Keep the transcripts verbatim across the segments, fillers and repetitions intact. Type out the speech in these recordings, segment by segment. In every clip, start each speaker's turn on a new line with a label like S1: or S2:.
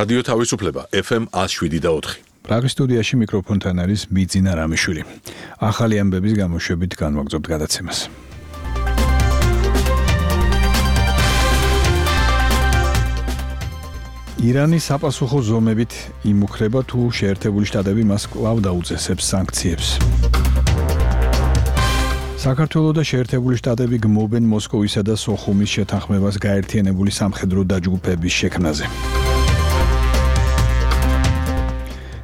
S1: რადიო თავისუფლება ეფ ემ one oh seven და four.
S2: პრაღის სტუდიაში მიკროფონთან არის ბიძინა რამიშვილი. ახალი ამბების გამოშვებით განვაგრძობთ გადაცემას. ირანის საპასუხო ზომებით იმუქრება თუ შეერთებული შტატები მას კვლავ დაუწესებს სანქციებს. საქართველოს და შეერთებული შტატები გმობენ მოსკოვისა და სოხუმის შეთანხმებას გაერთიანებული სამხედრო დაჯგუფების შექმნაზე.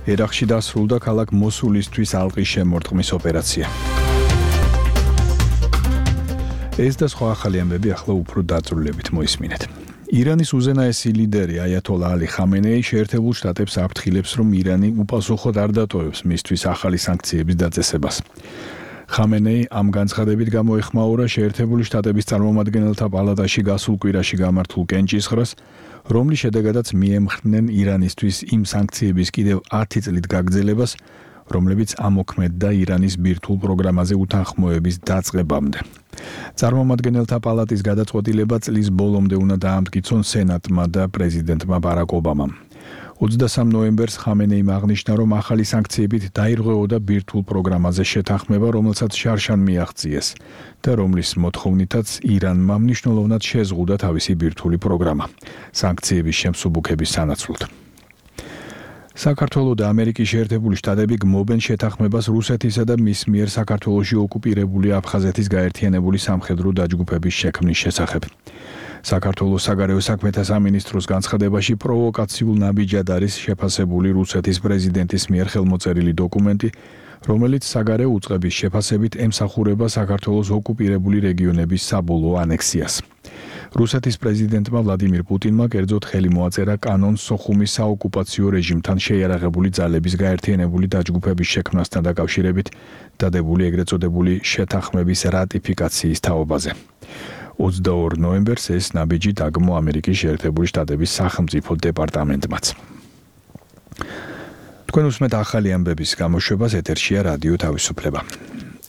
S2: ერაყში დასრულდა ქალაქ მოსულისთვის ალყის შემორტყმის ოპერაცია. ეს და სხვა ახალი ამბები ახლა უფრო დაწვრილებით მოისმინეთ. ირანის უზენაესი ლიდერი აიათოლა ალი ხამენეი შეერთებულ შტატებს აფრთხილებს, რომ ირანი უპასუხოდ არ დატოვებს მისთვის ახალი სანქციების დაწესებას. ხამენეი ამ განცხადებით გამოეხმაურა შეერთებული შტატების წარმომადგენელთა პალატაში გასულ კვირაში გამართულ კენჭისყრას, რომლის შედეგადაც მიემხრნენ ირანისთვის იმ სანქციების კიდევ ათი წლით გაგრძელებას, რომლებიც ამოქმედდა ირანის ბირთვულ პროგრამაზე უთანხმოების დაწყებამდე. წარმომადგენელთა პალატის გადაწყვეტილება წლის ბოლომდე უნდა დაამტკიცონ სენატმა და პრეზიდენტმა ბარაკ ობამამ. ოცდასამ ნოემბერს ხამენეიმ აღნიშნა, რომ ახალი სანქციებით დაირღვეოდა ბირთვულ პროგრამაზე შეთანხმება, რომელსაც შარშან მიაღწიეს და რომლის მოთხოვნითაც ირანმა მნიშვნელოვნად შეზღუდა თავისი ბირთვული პროგრამა სანქციების შემსუბუქების სანაცვლოდ. საქართველოს და ამერიკის შეერთებული შტატები გმობენ შეთანხმებას რუსეთისა და მის მიერ საქართველოში ოკუპირებული აფხაზეთის გაერთიანებული სამხედრო დაჯგუფების შექმნის შესახებ. საქართველოს საგარეო საქმეთა სამინისტროს განცხადებაში პროვოკაციულ ნაბიჯად არის შეფასებული რუსეთის პრეზიდენტის მიერ ხელმოწერილი დოკუმენტი, რომელიც საგარეო უწყების შეფასებით ემსახურება საქართველოს ოკუპირებული რეგიონების საბოლოო ანექსიას. რუსეთის პრეზიდენტმა ვლადიმირ პუტინმა კერძოდ ხელი მოაწერა კანონს სოხუმის საოკუპაციო რეჟიმთან შეიარაღებული ძალების გაერთიანებული დაჯგუფების შექმნასთან დაკავშირებით დადებული ეგრეთ წოდებული შეთანხმების რატიფიკაციის თაობაზე. ოცდაორ ნოემბერს ეს ნაბიჯი დაგმო ამერიკის შეერთებული შტატების სახელმწიფო დეპარტამენტმაც. თქვენ უსმენთ ახალი ამბების გამოშვებას, ეთერშია რადიო თავისუფლება.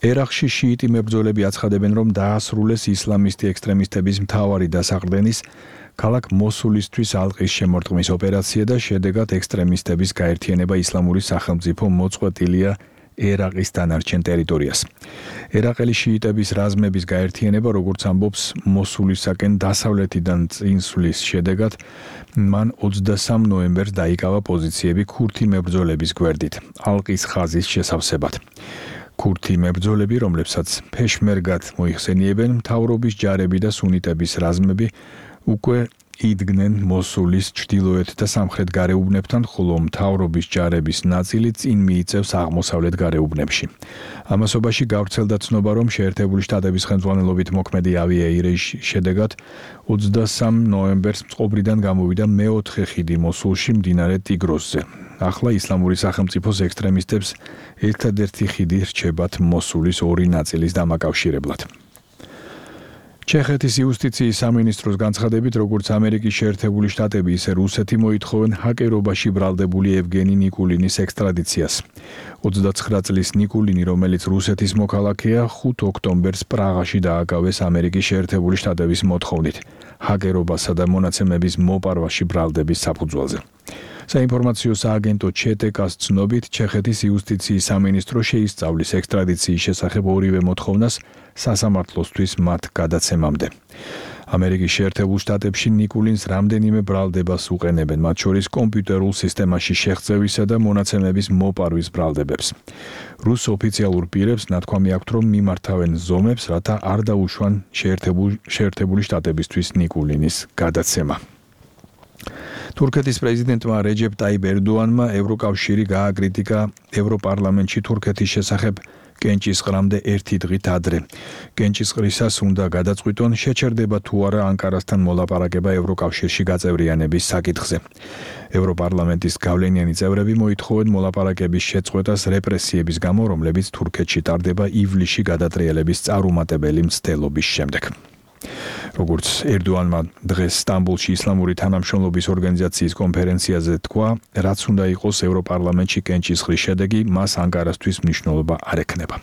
S2: ერაყში შიიტი მებრძოლები აცხადებენ, რომ დაასრულეს ისლამისტი ექსტრემისტების მთავარი დასაყრდენის ქალაქ მოსულისთვის ალყის შემორტყმის ოპერაცია და შედეგად ექსტრემისტების გაერთიანება ისლამური სახელმწიფო მოწყვეტილია ერაყის დანარჩენ ტერიტორიას. ერაყელი შიიტების რაზმების გაერთიანება, როგორც ამბობს, მოსულისაკენ დასავლეთიდან წინსვლის შედეგად მან ოცდასამ ნოემბერს დაიკავა პოზიციები ქურთი მებრძოლების გვერდით, ალყის ხაზის შესავსებად. ქურთი მებრძოლები, რომლებსაც ფეშმერგად მოიხსენიებენ, მთავრობის ჯარები და სუნიტების რაზმები უკვე იდგნენ მოსულის ჩრდილოეთ და სამხრეთ გარეუბნებთან, ხოლო მთავრობის ჯარების ნაწილი წინ მიიწევს აღმოსავლეთ გარეუბნებში. ამასობაში გავრცელდა ცნობა, რომ შეერთებული შტატების ხელმძღვანელობით მოქმედი ავიაირეჟის შედეგად ოცდასამ ნოემბერს წყობრიდან გამოვიდა მეოთხე ხიდი მოსულში მდინარე ტიგროსზე. ახლა ისლამური სახელმწიფოს ექსტრემისტებს ერთადერთი ხიდი რჩებათ მოსულის ორი ნაწილის დამაკავშირებლად. ჩეხეთის იუსტიციის სამინისტროს განცხადებით, როგორც ამერიკის შეერთებული შტატები, ისე რუსეთი მოითხოვენ ჰაკერობაში ბრალდებული ევგენი ნიკულინის ექსტრადიციას. ოცდაცხრა წლის ნიკულინი, რომელიც რუსეთის მოქალაქეა, ხუთ ოქტომბერს პრაღაში დააკავეს ამერიკის შეერთებული შტატების მოთხოვნით ჰაკერობასა და მონაცემების მოპარვაში ბრალდების საფუძველზე. საინფორმაციო სააგენტო ჩეტეკას ცნობით, ჩეხეთის იუსტიციის სამინისტრო შეისწავლის ექსტრადიციის შესახებ ორივე მოთხოვნას სასამართლოსთვის მათ გადაცემამდე. ამერიკის შეერთებულ შტატებში ნიკულინს რამდენიმე ბრალდებას უყენებენ, მათ შორის კომპიუტერულ სისტემაში შეღწევისა და მონაცემების მოპარვის ბრალდებებს. რუს ოფიციალურ პირებს ნათქვამი აქვთ, რომ მიმართავენ ზომებს, რათა არ დაუშვან შეერთებული შტატებისთვის ნიკულინის გადაცემა. თურქეთის პრეზიდენტმა რეჯეპ ტაიპ ერდოანმა ევროკავშირი გააკრიტიკა ევროპარლამენტში თურქეთის შესახებ კენჭისყრამდე ერთი დღით ადრე. კენჭისყრისას უნდა გადაწყვიტონ, შეჩერდება თუ არა ანკარასთან მოლაპარაკება ევროკავშირში გაწევრიანების საკითხზე. ევროპარლამენტის გავლენიანი წევრები მოითხოვენ მოლაპარაკების შეწყვეტას რეპრესიების გამო, რომლებიც თურქეთში ტარდება ივლისში გადატრიალების წარუმატებელი მცდელობის შემდეგ. როგორც ერდოანმა დღეს სტამბოლში ისლამური თანამშრომლობის ორგანიზაციის კონფერენციაზე თქვა, რაც უნდა იყოს ევროპარლამენტში კენჭისყრის შედეგი, მას ანკარასთვის მნიშვნელობა არ ექნება.